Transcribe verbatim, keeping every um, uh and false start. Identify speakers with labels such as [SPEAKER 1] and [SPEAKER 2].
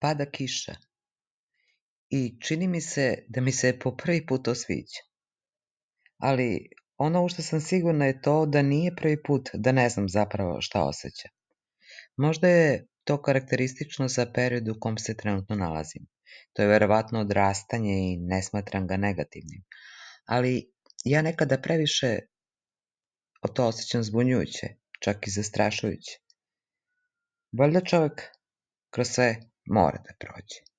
[SPEAKER 1] pada kiša i čini mi se da mi se po prvi put to sviđa. Ali ono u što sam sigurna je to da nije prvi put da ne znam zapravo šta osjećam. Možda je to karakteristično za period u kom se trenutno nalazim. To je verovatno odrastanje i ne smatram ga negativnim. Ali ja nekada previše o to osjećam zbunjujuće, čak i zastrašujuće. Valjda čovjek kroz sve mora da prođe.